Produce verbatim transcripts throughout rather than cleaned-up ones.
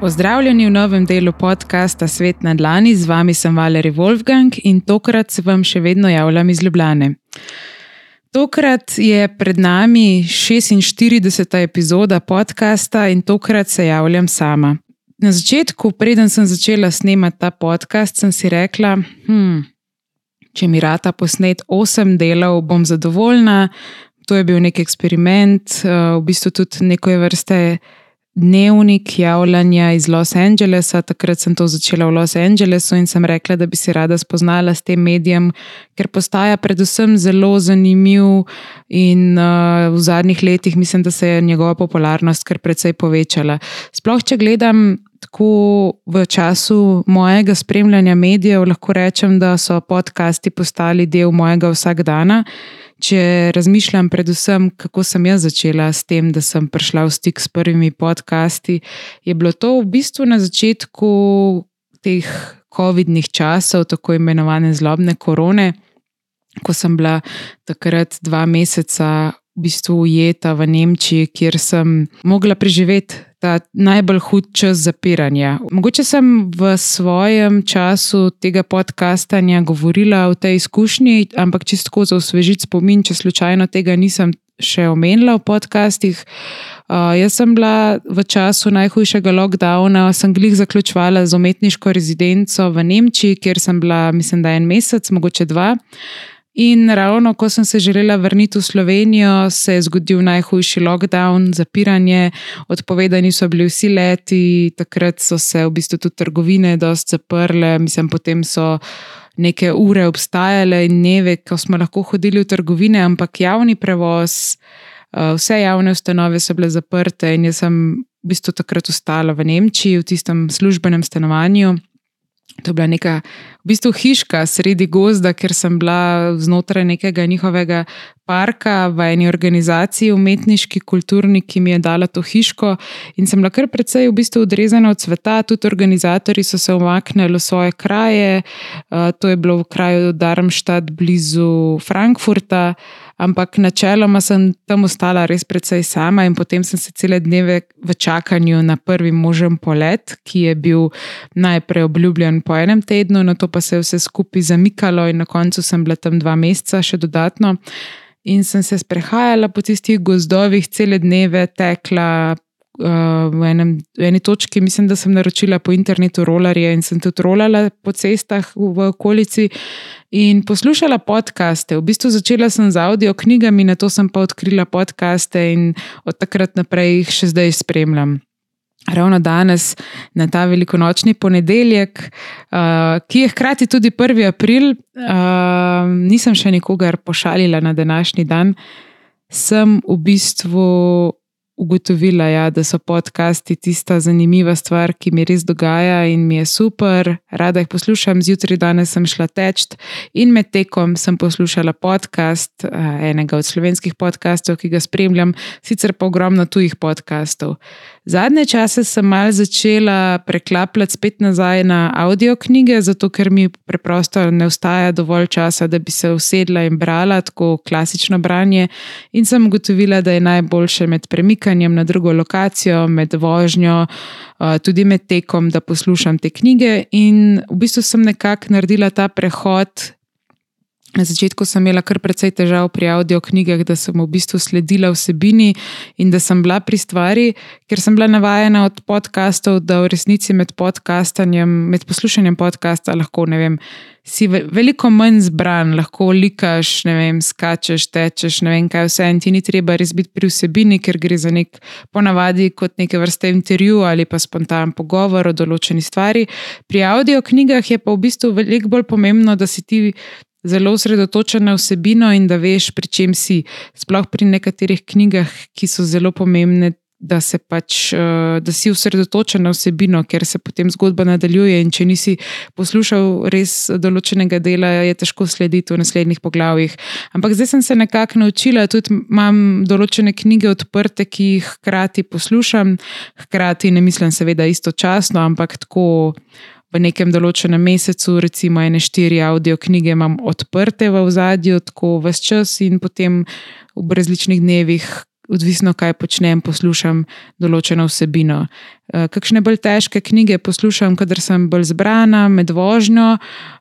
Pozdravljeni v novem delu podcasta Svet na dlani, z vami sem Valerij Wolfgang in tokrat se vam še vedno javljam iz Ljubljane. Tokrat je pred nami šestinštirideseta epizoda podcasta in tokrat se javljam sama. Na začetku, preden sem začela snemati ta podcast, sem si rekla, hm, če mi rata posnet osem delov, bom zadovoljna. To je bil nek eksperiment, v bistvu tudi neko vrste dnevnik javljanja iz Los Angelesa. Takrat sem to začela v Los Angelesu in sem rekla, da bi se rada spoznala s tem medijem, ker postaja predvsem zelo zanimiv in uh, v zadnjih letih mislim, da se je njegova popularnost kar precej povečala. Sploh, če gledam tako v času mojega spremljanja medijev, lahko rečem, da so podcasti postali del mojega vsakdana. Če razmišljam predvsem, kako sem jaz začela s tem, da sem prišla v stik s prvimi podcasti, je bilo to v bistvu na začetku teh covidnih časov, tako imenovane zlobne korone, ko sem bila takrat dva meseca v bistvu ujeta v Nemčiji, kjer sem mogla preživeti ta najbolj hud čas zapiranja. Mogoče sem v svojem času tega podcastanja govorila o tej izkušnji, ampak čisto za osvežiti spomin, če slučajno tega nisem še omenila v podcastih. Uh, jaz sem bila v času najhujšega lockdowna, sem glih zaključovala z umetniško rezidenco v Nemčiji, kjer sem bila, mislim, da en mesec, mogoče dva. In ravno, ko sem se želela vrniti v Slovenijo, se je zgodil najhujši lockdown, zapiranje, odpovedani so bili vsi leti, takrat so se v bistvu tudi trgovine dosti zaprle, mislim, potem so neke ure obstajale in dneve, ko smo lahko hodili v trgovine, ampak javni prevoz, vse javne ustanove so bile zaprte in jaz sem v bistvu takrat ostala v Nemčiji, v tistem službenem stanovanju. To je bila neka v bistvu hiška sredi gozda, ker sem bila znotraj nekega njihovega parka v eni organizaciji umetniški, kulturni, ki mi je dala to hiško in sem bila kar precej v bistvu odrezana od sveta. Tudi organizatorji so se umaknili v svoje kraje, to je bilo v kraju Darmstadt blizu Frankfurta, ampak načeloma sem tam ostala res precej sama in potem sem se cele dneve v čakanju na prvi možen polet, ki je bil najprej obljubljen po enem tednu, nato pa se je vse skupaj zamikalo in na koncu sem bila tam dva meseca še dodatno in sem se sprehajala po tistih gozdovih, cele dneve tekla uh, v, enem, v eni točki, mislim, da sem naročila po internetu rolerje in sem tudi rolala po cestah v, v okolici in poslušala podcaste. V bistvu začela sem z audio knjigami, nato sem pa odkrila podcaste in od takrat naprej jih še zdaj spremljam. Ravno danes, na ta velikonočni ponedeljek, uh, ki je hkrati tudi prvi april, uh, nisem še nikogar pošalila na današnji dan, sem v bistvu ugotovila, ja, da so podcasti tista zanimiva stvar, ki mi res dogaja in mi je super. Rada jih poslušam, zjutraj danes sem šla teč in med tekom sem poslušala podcast, enega od slovenskih podcastov, ki ga spremljam, sicer pa ogromno tujih podcastov. Zadnje čase sem malo začela preklapljati spet nazaj na audio knjige, zato ker mi preprosto ne ostaja dovolj časa, da bi se usedla in brala, tako klasično branje, in sem ugotovila, da je najboljše med premikanjem na drugo lokacijo, med vožnjo, tudi med tekom, da poslušam te knjige in v bistvu sem nekako naredila ta prehod. Na začetku sem imela kar precej težav pri audio knjigah, da sem v bistvu sledila vsebini in da sem bila pri stvari, ker sem bila navajena od podcastov, da v resnici med podcastanjem, med poslušanjem podcasta lahko, ne vem, si veliko manj zbran, lahko likaš, ne vem, skačeš, tečeš, ne vem kaj vse in ti ni treba res biti pri vsebini, ker gre za nek ponavadi kot neke vrste intervju ali pa spontan pogovor o določeni stvari. Pri audio knjigah je pa v bistvu veliko bolj pomembno, da si ti zelo osredotočen na vsebino in da veš, pri čem si. Sploh pri nekaterih knjigah, ki so zelo pomembne, da se pač, da si osredotočen na vsebino, ker se potem zgodba nadaljuje in če nisi poslušal res določenega dela, je težko slediti v naslednjih poglavjih. Ampak zdaj sem se nekako naučila, tudi imam določene knjige odprte, ki jih hkrati poslušam, hkrati ne mislim seveda istočasno, ampak tako v nekem določenem mesecu, recimo ene štiri audio knjige imam odprte v ozadju, tako ves čas in potem v različnih dnevih, odvisno kaj počnem, poslušam določeno vsebino. kakšne bolj težke knjige poslušam, kadar sem bolj zbrana, med vožnjo,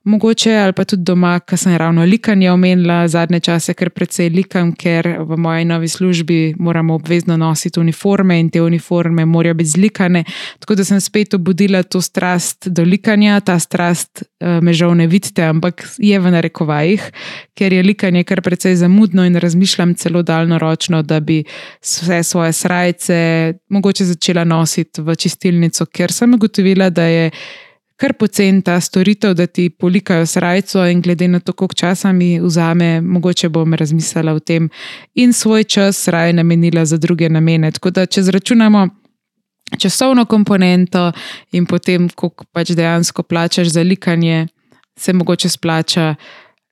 mogoče, ali pa tudi doma, ker sem ravno likanje omenila, zadnje čase kar precej likam, ker v moji novi službi moramo obvezno nositi uniforme in te uniforme morajo biti zlikane, tako da sem spet obudila to strast do likanja, ta strast me žal ne vidite, ampak je v narekovajih, ker je likanje kar precej zamudno in razmišljam celo daljnoročno, da bi vse svoje srajce mogoče začela nositi v čistilnico, ker sem ugotovila, da je kar poceni ta storitev, da ti polikajo srajco in glede na to, koliko časa mi vzame, mogoče bom razmislila o tem in svoj čas raje namenila za druge namene. Tako da, če zračunamo časovno komponento in potem, koliko pač dejansko plačaš za likanje, se mogoče splača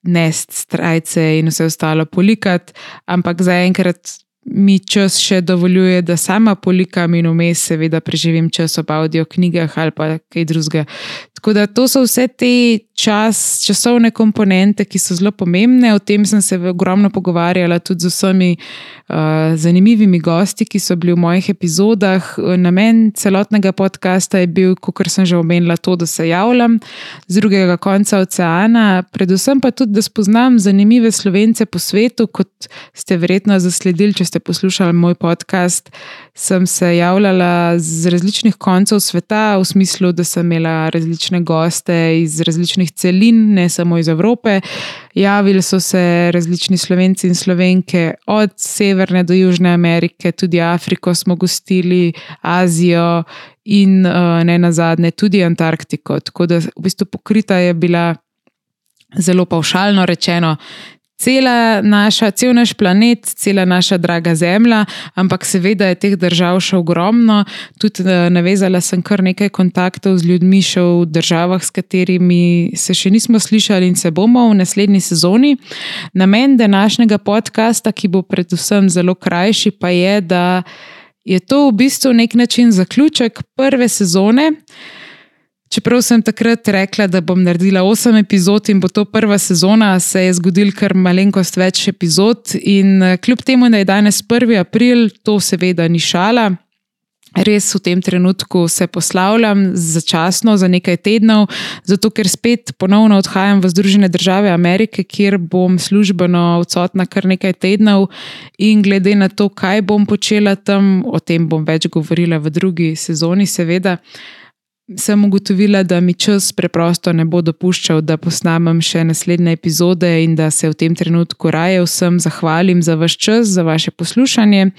nest srajce in vse ostalo polikati, ampak zaenkrat mi čas še dovoljuje, da sama polikam in vmes seveda preživim čas ob audio knjigah ali pa kaj drugega. Tako da to so vse te čas, časovne komponente, ki so zelo pomembne. O tem sem se ogromno pogovarjala tudi z vsemi uh, zanimivimi gosti, ki so bili v mojih epizodah. Namen celotnega podcasta je bil, kakor sem že omenila, to, da se javljam z drugega konca oceana, predvsem pa tudi, da spoznam zanimive Slovence po svetu, kot ste verjetno zasledili, če ste poslušali moj podcast, sem se javljala z različnih koncev sveta, v smislu, da sem imela različne goste iz različnih celin, ne samo iz Evrope. Javili so se različni Slovenci in Slovenke od Severne do Južne Amerike, tudi Afriko smo gostili, Azijo in ne nazadnje tudi Antarktiko. Tako da v bistvu pokrita je bila, zelo pavšalno rečeno, Cela naša, cel naš planet, cela naša draga Zemlja, ampak seveda je teh držav še ogromno. Tudi navezala sem kar nekaj kontaktov z ljudmi še v državah, s katerimi se še nismo slišali in se bomo v naslednji sezoni. Namen današnjega podcasta, ki bo predvsem zelo krajši, pa je, da je to v bistvu nek način zaključek prve sezone. Čeprav sem takrat rekla, da bom naredila osem epizod in bo to prva sezona, se je zgodil kar malenkost več epizod in kljub temu, da je danes prvi april, to seveda ni šala. Res v tem trenutku se poslavljam začasno za nekaj tednov, zato ker spet ponovno odhajam v Združene države Amerike, kjer bom službeno odsotna kar nekaj tednov in glede na to, kaj bom počela tam, o tem bom več govorila v drugi sezoni seveda, sem ugotovila, da mi čas preprosto ne bo dopuščal, da posnamem še naslednje epizode in da se v tem trenutku raje vsem zahvalim za vaš čas, za vaše poslušanje.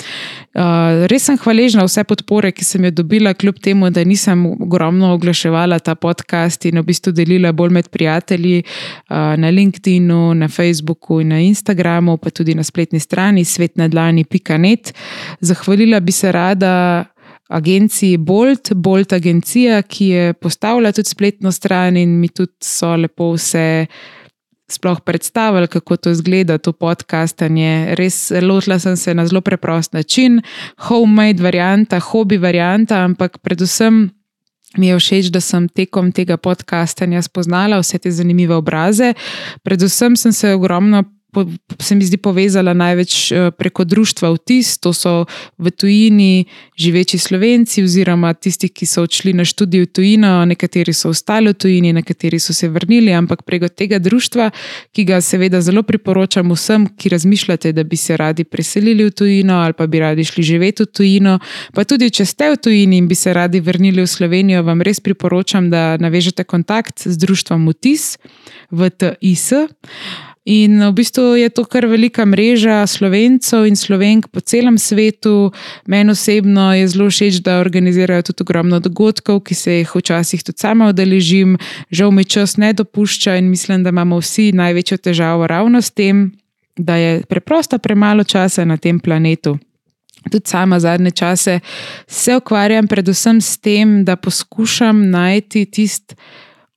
Res sem hvaležna vse podpore, ki sem jo dobila, kljub temu, da nisem ogromno oglaševala ta podcast in v bistvu delila bolj med prijatelji na LinkedInu, na Facebooku in na Instagramu, pa tudi na spletni strani svet na dlani pika net. Zahvalila bi se rada agenciji Bolt, Bolt agencija, ki je postavila tudi spletno stran in mi tudi so lepo vse sploh predstavili, kako to izgleda, to podcastanje. Res lotila sem se na zelo preprost način, homemade varianta, hobi varianta, ampak predvsem mi je všeč, da sem tekom tega podcastanja spoznala vse te zanimive obraze. Predvsem sem se ogromno se mi zdi povezala največ preko društva Vtis, to so v tujini živeči Slovenci oziroma tisti, ki so odšli na študij v tujino, nekateri so ostali v tujini, nekateri so se vrnili, ampak preko tega društva, ki ga seveda zelo priporočam vsem, ki razmišljate, da bi se radi preselili v tujino ali pa bi radi šli živeti v tujino, pa tudi če ste v tujini in bi se radi vrnili v Slovenijo, vam res priporočam, da navežete kontakt z društvom Vtis, V T I S. In v bistvu je to kar velika mreža Slovencev in Slovenk po celem svetu. Meni osebno je zelo všeč, da organizirajo tudi ogromno dogodkov, ki se jih včasih tudi sama udeležim. Žal mi čas ne dopušča in mislim, da imamo vsi največjo težavo ravno s tem, da je preprosto premalo časa na tem planetu. Tudi sama zadnje čase se ukvarjam predvsem s tem, da poskušam najti tisti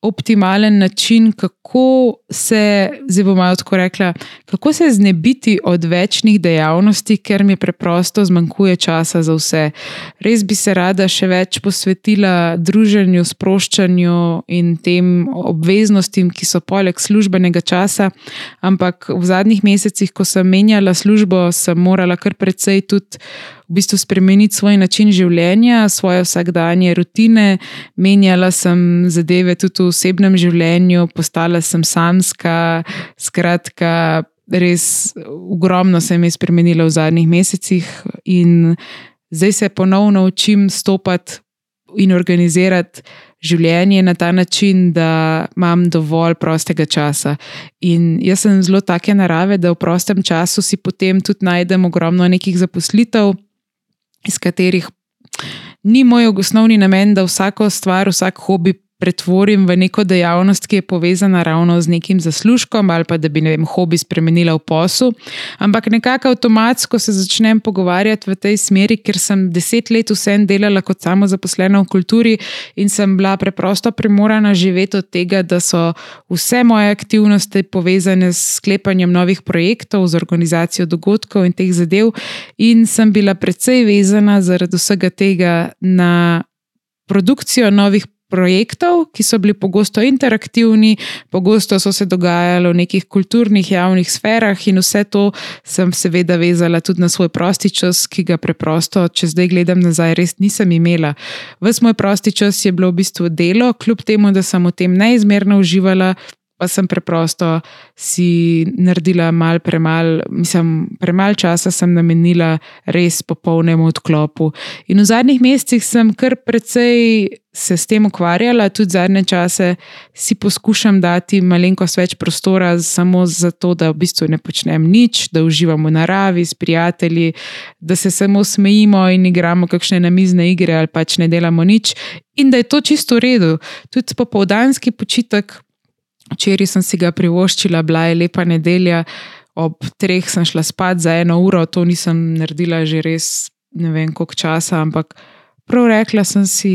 optimalen način, kako se, zdaj bom malo tako rekla, kako se znebiti od večnih dejavnosti, ker mi preprosto zmanjkuje časa za vse. Res bi se rada še več posvetila druženju, sproščanju in tem obveznostim, ki so poleg službenega časa, ampak v zadnjih mesecih, ko sem menjala službo, sem morala kar precej tudi v bistvu spremeniti svoj način življenja, svoje vsakdanje rutine, menjala sem zadeve tudi v osebnem življenju, postala sem samska, skratka, res ogromno se mi je spremenilo v zadnjih mesecih in zdaj se ponovno učim stopati in organizirati življenje na ta način, da imam dovolj prostega časa. In jaz sem zelo take narave, da v prostem času si potem tudi najdem ogromno nekih zaposlitev, iz katerih ni moj osnovni namen, da vsako stvar, vsak hobi pretvorim v neko dejavnost, ki je povezana ravno z nekim zaslužkom ali pa da bi, ne vem, hobi spremenila v posel, ampak nekako avtomatsko se začnem pogovarjati v tej smeri, ker sem deset let vseeno delala kot samozaposlena v kulturi in sem bila preprosto primorana živeti od tega, da so vse moje aktivnosti povezane s sklepanjem novih projektov, z organizacijo dogodkov in teh zadev in sem bila precej vezana zaradi vsega tega na produkcijo novih projektov, ki so bili pogosto interaktivni, pogosto so se dogajali v nekih kulturnih javnih sferah in vse to sem seveda vezala tudi na svoj prosti čas, ki ga preprosto, če zdaj gledam nazaj, res nisem imela. Ves moj prosti čas je bilo v bistvu delo, kljub temu, da sem v tem neizmerno uživala, pa sem preprosto si naredila mal premal, mislim, premal časa sem namenila res popolnemu odklopu. In v zadnjih mesecih sem kar precej se s tem ukvarjala, tudi zadnje čase si poskušam dati malenkost več prostora samo zato, da v bistvu ne počnem nič, da uživamo v naravi s prijatelji, da se samo smejimo in igramo kakšne namizne igre ali pač ne delamo nič in da je to čisto v redu. Tudi popoldanski počitek, včeraj sem si ga privoščila, bila je lepa nedelja, ob treh sem šla spat za eno uro, to nisem naredila že res ne vem koliko časa, ampak prav rekla sem si,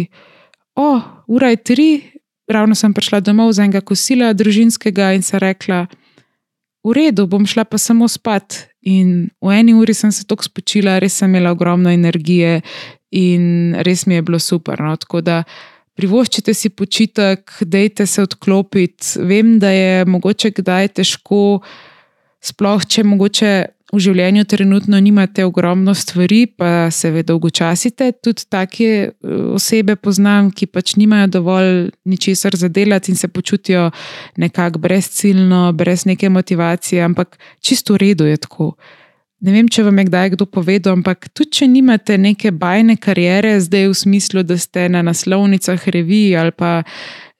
o, ura je tri, ravno sem prišla domov z enega kosila družinskega in sem rekla, v redu, bom šla pa samo spat. In v eni uri sem se toliko spočila, res sem imela ogromno energije in res mi je bilo super. No? Tako da privoščite si počitek, dejte se odklopiti. Vem, da je mogoče kdaj težko, sploh če mogoče v življenju trenutno nimate ogromno stvari, pa se ve dolgočasite. Tudi take osebe poznam, ki pač nimajo dovolj ničesar za delati in se počutijo nekako brezciljno, brez neke motivacije, ampak čisto v redu je tako. Ne vem, če vam je kdaj kdo povedal, ampak tudi če nimate neke bajne kariere, zdaj v smislu, da ste na naslovnicah revij ali pa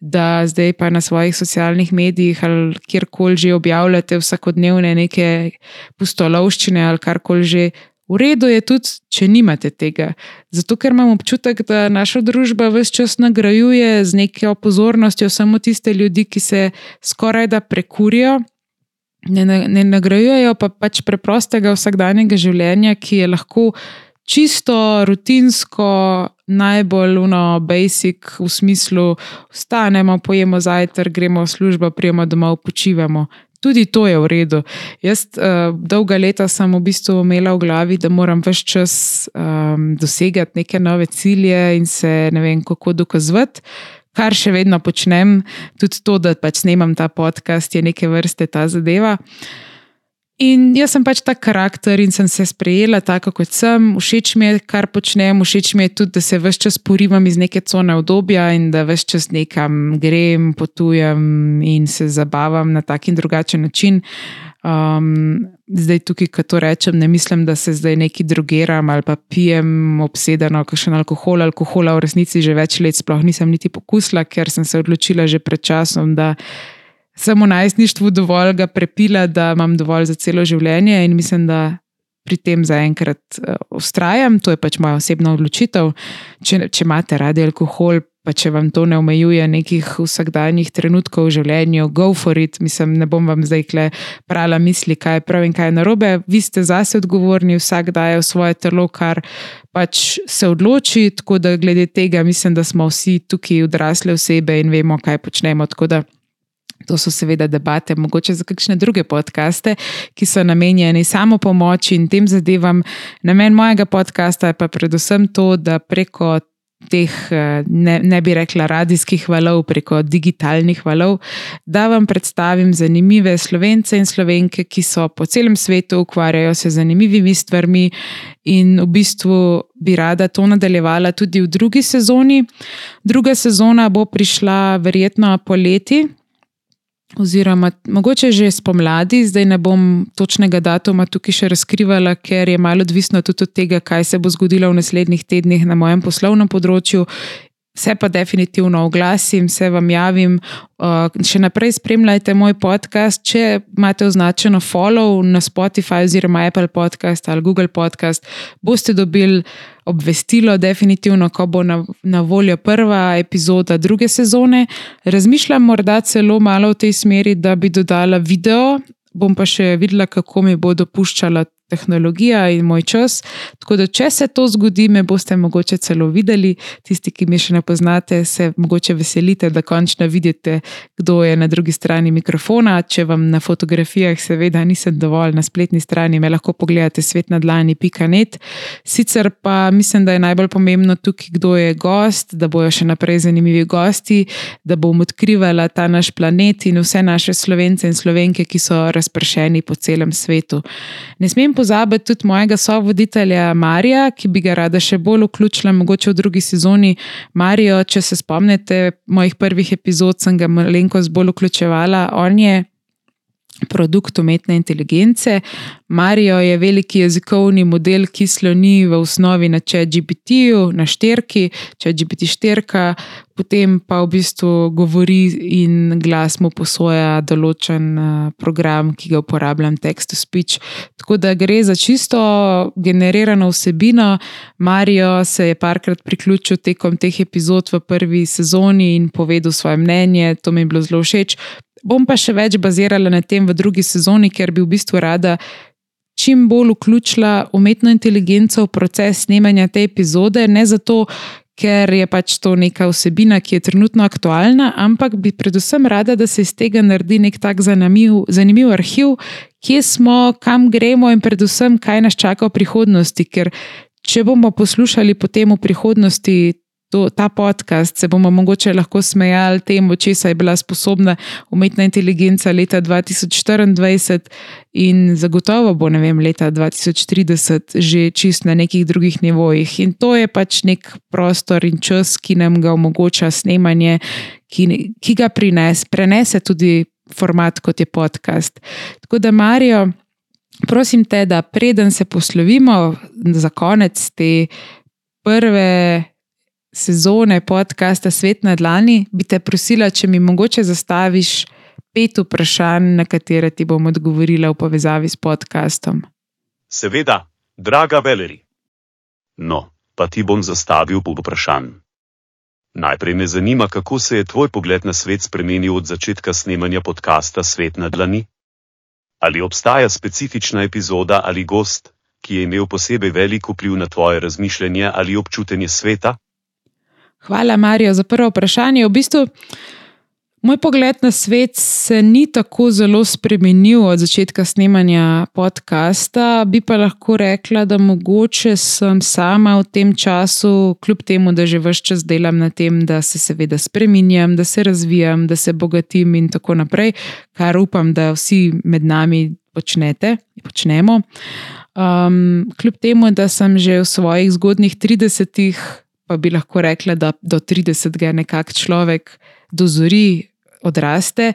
da zdaj pa na svojih socialnih medijih ali kjerkoli že objavljate vsakodnevne neke pustolovščine ali karkoli že, v redu je tudi, če nimate tega. Zato, ker imam občutek, da naša družba ves čas nagrajuje z neko pozornostjo samo tiste ljudi, ki se skoraj da prekurijo, Ne, ne nagrajujejo pa pač preprostega vsakdanjega življenja, ki je lahko čisto rutinsko, najbolj uno basic v smislu vstanemo, pojemo zajtrk, gremo v službo, prijemo domov, počivamo. Tudi to je v redu. Jaz uh, dolga leta sem v bistvu imela v glavi, da moram ves čas um, dosegati neke nove cilje in se ne vem kako dokazovati, kar še vedno počnem, tudi to, da pač snemam ta podcast, je neke vrste ta zadeva. In jaz sem pač tak karakter in sem se sprejela tako, kot sem. Všeč mi je, kar počnem, všeč mi je tudi, da se ves čas porivam iz neke cone udobja in da ves čas nekam grem, potujem in se zabavam na tak in drugačen način. Um, zdaj tukaj, ko to rečem, ne mislim, da se zdaj neki drogeram ali pa pijem obsedeno kakšen alkohol. Alkohola v resnici že več let sploh nisem niti pokusila, ker sem se odločila že pred časom, da sem v najstništvu dovolj ga prepila, da imam dovolj za celo življenje in mislim, da pri tem zaenkrat vztrajam. To je pač moja osebna odločitev. Če, če imate radi alkohol, pa če vam to ne omejuje nekih vsakdanjih trenutkov v življenju, go for it. Mislim, ne bom vam zdaj kle prala misli, kaj je prav in kaj je narobe. Vi ste zase odgovorni, vsak daje v svoje telo, kar pač se odloči, tako da glede tega mislim, da smo vsi tukaj odrasle osebe in vemo, kaj počnemo, tako da to so seveda debate, mogoče za kakšne druge podcaste, ki so namenjeni samopomoči in tem zadevam. Namen mojega podcasta je pa predvsem to, da preko teh, ne, ne bi rekla radijskih valov, preko digitalnih valov, da vam predstavim zanimive Slovence in Slovenke, ki so po celem svetu, ukvarjajo se z zanimivimi stvarmi in v bistvu bi rada to nadaljevala tudi v drugi sezoni. Druga sezona bo prišla verjetno poleti, oziroma mogoče že spomladi, zdaj ne bom točnega datuma tukaj še razkrivala, ker je malo odvisno tudi od tega, kaj se bo zgodilo v naslednjih tednih na mojem poslovnem področju. Se pa definitivno oglasim, se vam javim. Še naprej spremljajte moj podcast, če imate označeno follow na Spotify oziroma Apple Podcast ali Google Podcast, boste dobili obvestilo definitivno, ko bo na, na voljo prva epizoda druge sezone. Razmišljam morda celo malo v tej smeri, da bi dodala video, bom pa še videla, kako mi bo dopuščala tehnologija in moj čas, tako da če se to zgodi, me boste mogoče celo videli, tisti, ki me še ne poznate, se mogoče veselite, da končno vidite, kdo je na drugi strani mikrofona. Če vam na fotografijah seveda nisem dovolj, na spletni strani me lahko pogledate svetnadlani pika net. Sicer pa mislim, da je najbolj pomembno tukaj, kdo je gost, da bojo še naprej zanimivi gosti, da bom odkrivala ta naš planet in vse naše Slovence in Slovenke, ki so razpršeni po celem svetu. Ne smem pozabiti tudi mojega sovoditelja Marija, ki bi ga rada še bolj vključila, mogoče v drugi sezoni. Marijo, če se spomnite mojih prvih epizod, sem ga malenkost bolj vključevala. On je produkt umetne inteligence. Mario je veliki jezikovni model, ki sloni v osnovi na ChatGPT-ju, na štirki, ChatGPT štirka, potem pa v bistvu govori in glas mu posoja določen program, ki ga uporabljam, text-to-speech. Tako da gre za čisto generirano vsebino. Mario se je parkrat priključil tekom teh epizod v prvi sezoni in povedal svoje mnenje, to mi je bilo zelo všeč. Bom pa še več bazirala na tem v drugi sezoni, ker bi v bistvu rada čim bolj vključila umetno inteligenco v proces snemanja te epizode, ne zato, ker je pač to neka vsebina, ki je trenutno aktualna, ampak bi predvsem rada, da se iz tega naredi nek tak zanimiv, zanimiv arhiv, kje smo, kam gremo in predvsem, kaj nas čaka v prihodnosti, ker če bomo poslušali potem v prihodnosti To, ta podcast, se bomo mogoče lahko smejali temu, česa je bila sposobna umetna inteligenca leta dva tisoč štiriindvajset in zagotovo bo, ne vem, leta dva tisoč trideset že čist na nekih drugih nivojih. In to je pač nek prostor in čas, ki nam ga omogoča snemanje, ki, ki ga prines, prenese tudi format, kot je podcast. Tako da, Mario, prosim te, da preden se poslovimo za konec te prve sezone podcasta Svet na dlani, bi te prosila, če mi mogoče zastaviš pet vprašanj, na katere ti bom odgovorila v povezavi s podcastom. Seveda, draga Valerij. No, pa ti bom zastavil pet vprašanj. Najprej me zanima, kako se je tvoj pogled na svet spremenil od začetka snemanja podcasta Svet na dlani? Ali obstaja specifična epizoda ali gost, ki je imel posebej velik vpliv na tvoje razmišljanje ali občutenje sveta? Hvala, Mario, za prvo vprašanje. V bistvu, moj pogled na svet se ni tako zelo spremenil od začetka snemanja podcasta, bi pa lahko rekla, da mogoče sem sama v tem času, kljub temu, da že ves čas delam na tem, da se seveda spreminjam, da se razvijam, da se bogatim in tako naprej, kar upam, da vsi med nami počnete, počnemo. Um, kljub temu, da sem že v svojih zgodnjih tridesetih, pa bi lahko rekla, da do tridesetega nekak človek dozori, odraste.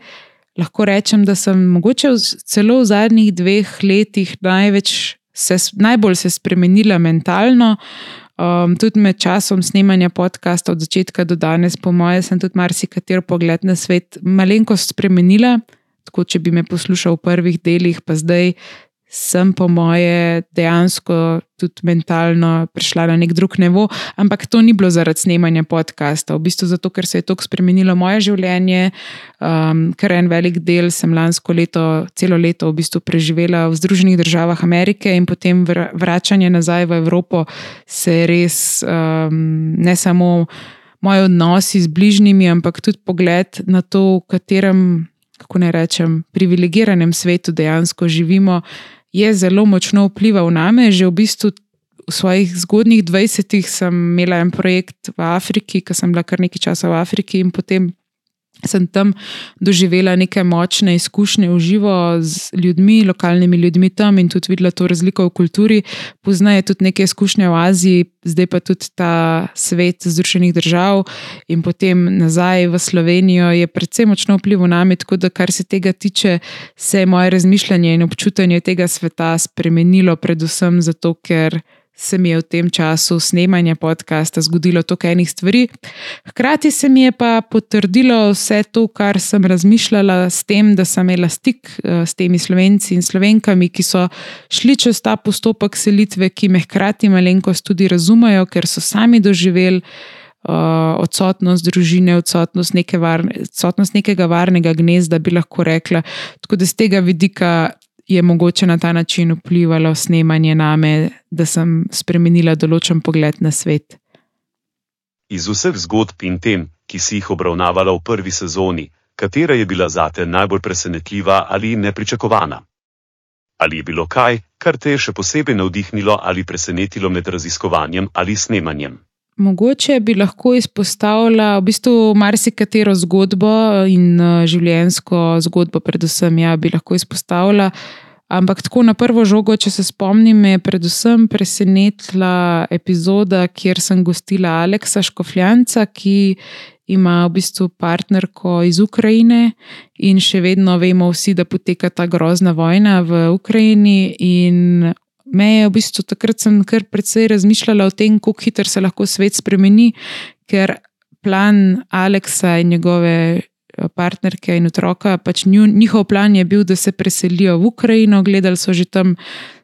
Lahko rečem, da sem mogoče celo v zadnjih dveh letih največ se, najbolj se spremenila mentalno. Um, tudi med časom snemanja podcasta od začetka do danes, po moje, sem tudi marsikateri pogled na svet malenkost spremenila. Tako, če bi me poslušal v prvih delih, pa zdaj sem po moje dejansko tudi mentalno prišla na nek drug nivo, ampak to ni bilo zaradi snemanja podcasta, v bistvu zato, ker se je toliko spremenilo moje življenje, um, ker en velik del sem lansko leto, celo leto v bistvu preživela v Združenih državah Amerike in potem vračanje nazaj v Evropo se je res um, ne samo moji odnosi z bližnjimi, ampak tudi pogled na to, v katerem, kako ne rečem, privilegiranem svetu dejansko živimo, je zelo močno vplival name. Že v bistvu v svojih zgodnjih dvajsetih sem imela en projekt v Afriki, ker sem bila kar nekaj časa v Afriki in potem sem tam doživela neke močne izkušnje v živo z ljudmi, lokalnimi ljudmi tam in tudi videla to razliko v kulturi. Poznaje tudi neke izkušnje v Aziji, zdaj pa tudi ta svet Združenih držav in potem nazaj v Slovenijo je predvsem močno vplival name, tako da kar se tega tiče, se je moje razmišljanje in občutanje tega sveta spremenilo, predvsem zato, ker se mi je v tem času snemanja podcasta zgodilo toliko enih stvari. Hkrati se mi je pa potrdilo vse to, kar sem razmišljala s tem, da sem imela stik s temi Slovenci in Slovenkami, ki so šli čez ta postopek selitve, ki me hkrati malenkost tudi razumejo, ker so sami doživeli uh, odsotnost družine, odsotnost, neke varne, odsotnost nekega varnega gnezda, bi lahko rekla. Tako da z tega vidika je mogoče na ta način vplivalo snemanje name, da sem spremenila določen pogled na svet. Iz vseh zgodb in tem, ki si jih obravnavala v prvi sezoni, katera je bila zate najbolj presenetljiva ali nepričakovana? Ali je bilo kaj, kar te je še posebej navdihnilo ali presenetilo med raziskovanjem ali snemanjem? Mogoče bi lahko izpostavila v bistvu marsikatero zgodbo in življenjsko zgodbo, predvsem ja, bi lahko izpostavila, ampak tako na prvo žogo, če se spomnim, me je predvsem presenetila epizoda, kjer sem gostila Aleksa Škofljanca, ki ima v bistvu partnerko iz Ukrajine in še vedno vemo vsi, da poteka ta grozna vojna v Ukrajini in me je v bistvu takrat sem kar precej razmišljala o tem, kako hitro se lahko svet spremeni, ker plan Aleksa in njegove partnerke in otroka, pač njihov plan je bil, da se preselijo v Ukrajino, gledali so že tam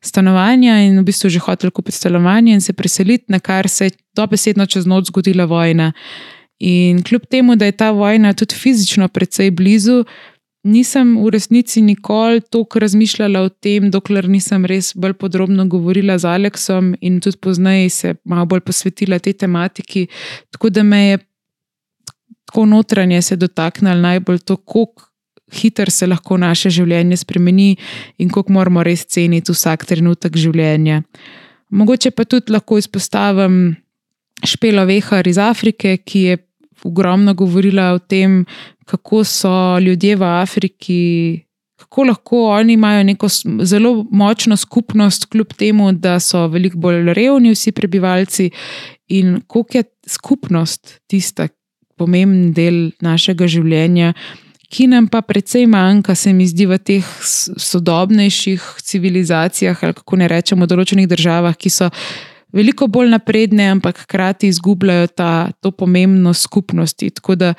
stanovanja in v bistvu že hoteli kupiti stanovanje in se preseliti, na kar se je dobesedno čez noč zgodila vojna. In kljub temu, da je ta vojna tudi fizično precej blizu, nisem v resnici nikoli toliko razmišljala o tem, dokler nisem res bolj podrobno govorila z Aleksom in tudi pozneje se malo bolj posvetila tej tematiki, tako da me je tako notranje se dotaknilo najbolj to, koliko hitro se lahko naše življenje spremeni in koliko moramo res ceniti vsak trenutek življenja. Mogoče pa tudi lahko izpostavim Špelo Vehar iz Afrike, ki je ogromno govorila o tem, kako so ljudje v Afriki, kako lahko oni imajo neko zelo močno skupnost, kljub temu, da so veliko bolj revni vsi prebivalci in koliko je skupnost tista pomemben del našega življenja, ki nam pa precej manjka, se mi zdi, v teh sodobnejših civilizacijah ali kako ne rečemo, določenih državah, ki so veliko bolj napredne, ampak hkrati izgubljajo ta, to pomembnost skupnosti. Tako da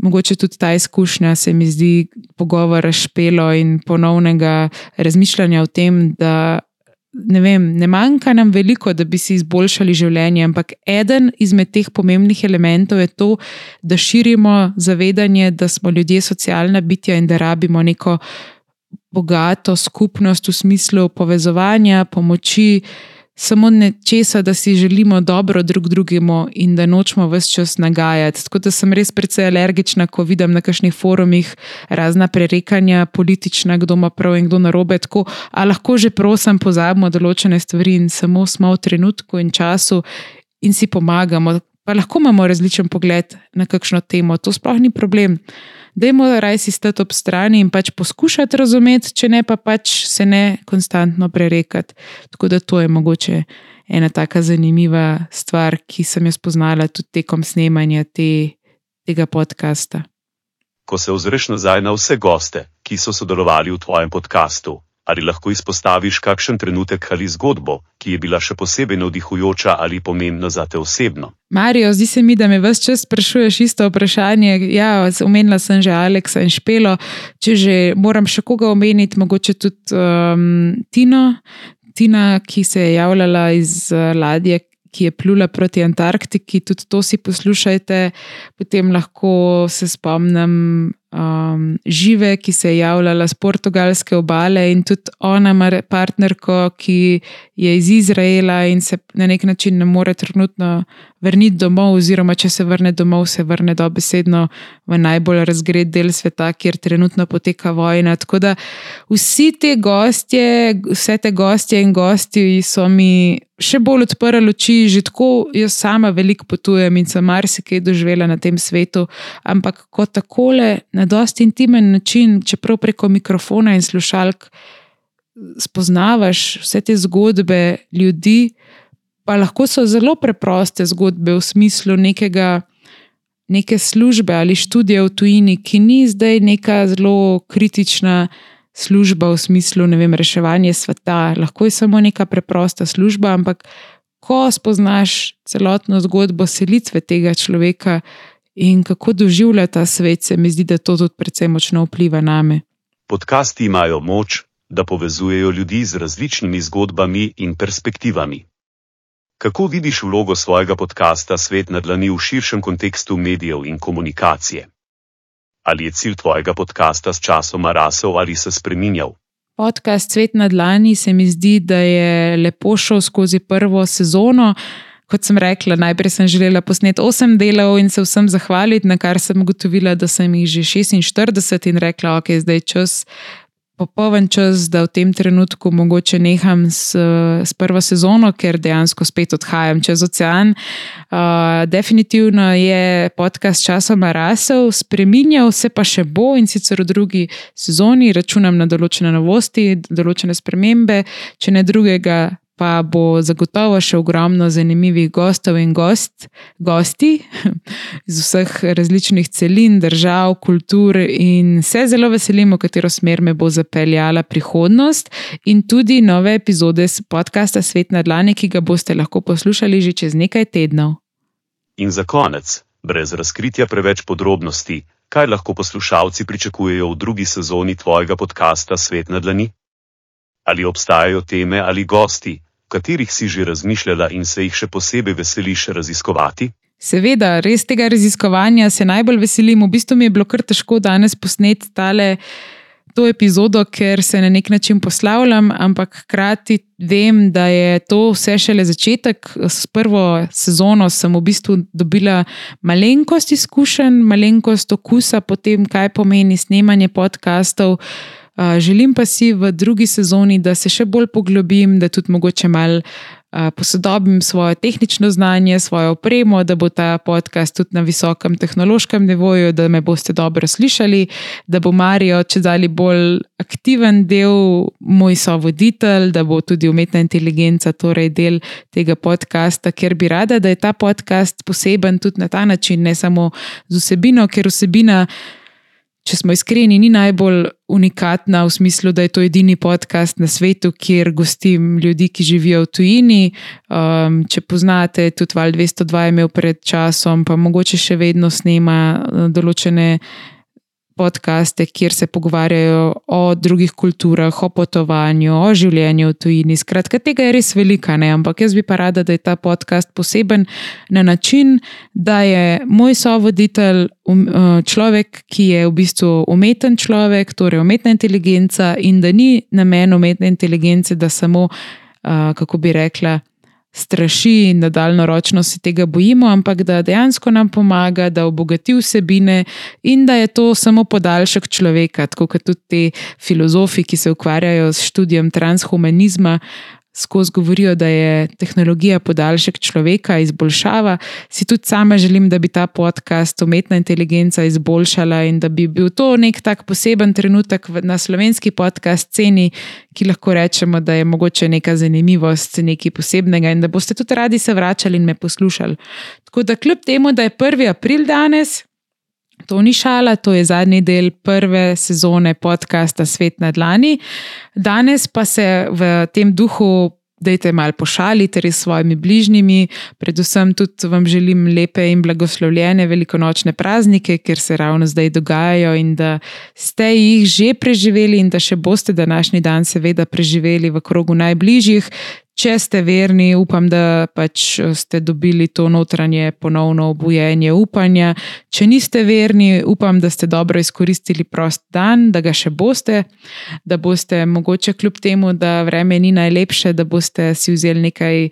mogoče tudi ta izkušnja se mi zdi pogovora s Špelo in ponovnega razmišljanja o tem, da ne vem, ne manjka nam veliko, da bi si izboljšali življenje, ampak eden izmed teh pomembnih elementov je to, da širimo zavedanje, da smo ljudje socialna bitja in da rabimo neko bogato skupnost v smislu povezovanja, pomoči, samo nečesa, da si želimo dobro drug drugemu in da nočemo ves čas nagajati. Tako da sem res precej alergična, ko vidim na kakšnih forumih razna prerekanja politična, kdo ima prav in kdo narobe. Tako, a lahko že prosim pozabimo določene stvari in samo smo v trenutku in času in si pomagamo. Pa lahko imamo različen pogled na kakšno temo, to sploh ni problem. Dajmo raj si stati ob strani in pač poskušati razumeti, če ne pa pač se ne konstantno prerekati. Tako da to je mogoče ena taka zanimiva stvar, ki sem jo spoznala tudi tekom snemanja te, tega podcasta. Ko se ozreš nazaj na vse goste, ki so sodelovali v tvojem podcastu, ali lahko izpostaviš kakšen trenutek ali zgodbo, ki je bila še posebej navdihujoča ali pomembna zate osebno? Mario, zdi se mi, da me ves čas sprašuješ isto vprašanje. Ja, omenila sem že Aleksa in Špelo, če že moram še koga omeniti, mogoče tudi um, Tino. Tina, ki se je javljala iz uh, ladje, ki je plula proti Antarktiki, tudi to si poslušajte. Potem lahko se spomnim um, Žive, ki se je javljala z portugalske obale, in tudi ona ima partnerko, ki je iz Izraela in se na nek način ne more trenutno vrniti domov, oziroma če se vrne domov, se vrne dobesedno v najbolj razgret del sveta, kjer trenutno poteka vojna. Tako da vsi te gostje, vse te gostje in gosti so mi še bolj odprli oči, že tako jaz sama veliko potujem in sem marsikaj doživela na tem svetu, ampak ko takole na dosti intimen način, čeprav preko mikrofona in slušalk spoznavaš vse te zgodbe ljudi, pa lahko so zelo preproste zgodbe v smislu nekega, neke službe ali študija v tujini, ki ni zdaj neka zelo kritična služba v smislu, ne vem, reševanje sveta. Lahko je samo neka preprosta služba, ampak ko spoznaš celotno zgodbo selitve tega človeka in kako doživlja ta svet, se mi zdi, da to tudi precej močno vpliva name. Podcasti imajo moč, da povezujejo ljudi z različnimi zgodbami in perspektivami. Kako vidiš vlogo svojega podcasta Svet na dlani v širšem kontekstu medijev in komunikacije? Ali je cilj tvojega podcasta s časoma rasel ali se spreminjal? Podcast Svet na dlani se mi zdi, da je lepo šel skozi prvo sezono. Kot sem rekla, najprej sem želela posneti osem delov in se vsem zahvaliti, na kar sem ugotovila, da sem jih že šestinštirideset in rekla, ok, zdaj čas, popoln čas, da v tem trenutku mogoče neham s, s prvo sezono, ker dejansko spet odhajam čez ocean. Uh, definitivno je podcast časoma rasel, spreminjal se pa še bo, in sicer v drugi sezoni računam na določene novosti, določene spremembe, če ne drugega, pa bo zagotovo še ogromno zanimivih gostov in gost, gosti iz vseh različnih celin, držav, kultur, in se zelo veselim, v katero smer me bo zapeljala prihodnost, in tudi nove epizode podcasta Svet na dlani, ki ga boste lahko poslušali že čez nekaj tednov. In za konec, brez razkritja preveč podrobnosti, kaj lahko poslušalci pričakujejo v drugi sezoni tvojega podcasta Svet na dlani? Ali obstajajo teme ali gosti, o katerih si že razmišljala in se jih še posebej veseliš raziskovati? Seveda, res tega raziskovanja se najbolj veselim. V bistvu mi je bilo kar težko danes posneti tale, to epizodo, ker se na nek način poslavljam, ampak hkrati vem, da je to vse šele začetek. S prvo sezono sem v bistvu dobila malenkost izkušenj, malenkost okusa po tem, kaj pomeni snemanje podcastov. Uh, želim pa si v drugi sezoni, da se še bolj poglobim, da tudi mogoče malo uh, posodobim svoje tehnično znanje, svojo opremo, da bo ta podcast tudi na visokem tehnološkem nivoju, da me boste dobro slišali, da bo Mario čedalje bolj aktiven del, moj sovoditelj, da bo tudi umetna inteligenca torej del tega podcasta, ker bi rada, da je ta podcast poseben tudi na ta način, ne samo z vsebino, ker vsebina, če smo iskreni, ni najbolj unikatna v smislu, da je to edini podcast na svetu, kjer gostim ljudi, ki živijo v tujini. Um, če poznate, tudi Val dvesto dva je imel pred časom, pa mogoče še vedno snema določene podcaste, kjer se pogovarjajo o drugih kulturah, o potovanju, o življenju v tujini. Skratka, tega je res velika, ne? Ampak jaz bi pa rada, da je ta podcast poseben na način, da je moj sovoditelj človek, ki je v bistvu umeten človek, torej umetna inteligenca, in da ni namen umetne inteligence, da samo, kako bi rekla, straši in da daljnoročno se tega bojimo, ampak da dejansko nam pomaga, da obogati vsebine in da je to samo podaljšek človeka, tako kot tudi te filozofi, ki se ukvarjajo s študijem transhumanizma, skozi govorijo, da je tehnologija podaljšek človeka, izboljšava. Si tudi sama želim, da bi ta podcast umetna inteligenca izboljšala in da bi bil to nek tak poseben trenutek na slovenski podcast sceni, ki lahko rečemo, da je mogoče neka zanimivost, nekaj posebnega, in da boste tudi radi se vračali in me poslušali. Tako da kljub temu, da je prvi april danes, to ni šala, to je zadnji del prve sezone podcasta Svet na dlani. Danes pa se v tem duhu dajte malo pošaliti res s svojimi bližnjimi, predvsem tudi vam želim lepe in blagoslovljene velikonočne praznike, ker se ravno zdaj dogajajo, in da ste jih že preživeli in da še boste današnji dan seveda preživeli v krogu najbližjih. Če ste verni, upam, da pač ste dobili to notranje ponovno obujenje upanja. Če niste verni, upam, da ste dobro izkoristili prost dan, da ga še boste, da boste mogoče kljub temu, da vreme ni najlepše, da boste si vzeli nekaj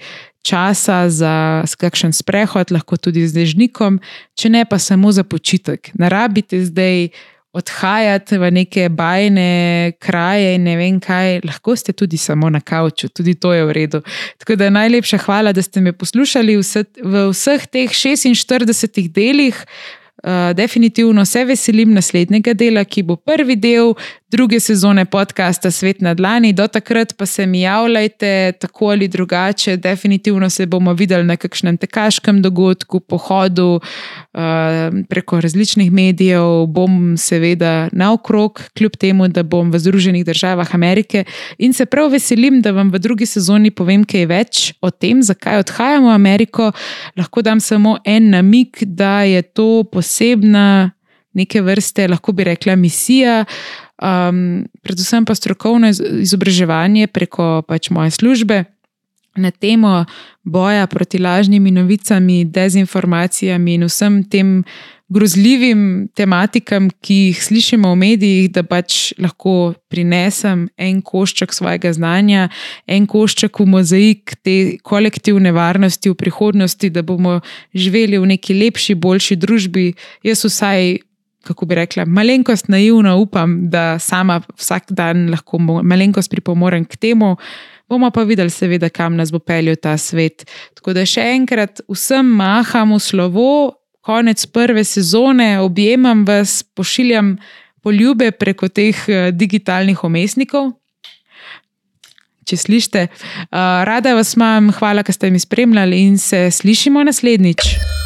časa za kakšen sprehod, lahko tudi z dežnikom, če ne pa samo za počitek. Ne rabite zdaj odhajati v neke bajne kraje in ne vem kaj, lahko ste tudi samo na kavču, tudi to je v redu. Tako da najlepša hvala, da ste me poslušali vse, v vseh teh šestinštiridesetih delih. Uh, definitivno se veselim naslednjega dela, ki bo prvi del druge sezone podcasta Svet na dlani. Do takrat pa se mi javljajte tako ali drugače. Definitivno se bomo videli na kakšnem tekaškem dogodku, pohodu, uh, preko različnih medijev. Bom seveda naokrog, kljub temu, da bom v Združenih državah Amerike, in se prav veselim, da vam v drugi sezoni povem kaj več o tem, zakaj odhajamo v Ameriko. Lahko dam samo en namig, da je to posebna neke vrste, lahko bi rekla, misija, um, predvsem pa strokovno izobraževanje preko pač moje službe na temo boja proti lažnimi novicami, dezinformacijami in vsem tem grozljivim tematikam, ki jih slišimo v medijih, da pač lahko prinesem en košček svojega znanja, en košček v mozaik te kolektivne varnosti v prihodnosti, da bomo živeli v neki lepši, boljši družbi. Jaz vsaj, kako bi rekla, malenkost naivno upam, da sama vsak dan lahko malenkost pripomorem k temu. Bomo pa videli seveda, kam nas bo peljal ta svet. Tako da še enkrat vsem maham v slovo, konec prve sezone, objemam vas, pošiljam poljube preko teh digitalnih omestnikov. Če slišite, rada vas imam, hvala, da ste mi spremljali in se slišimo naslednjič.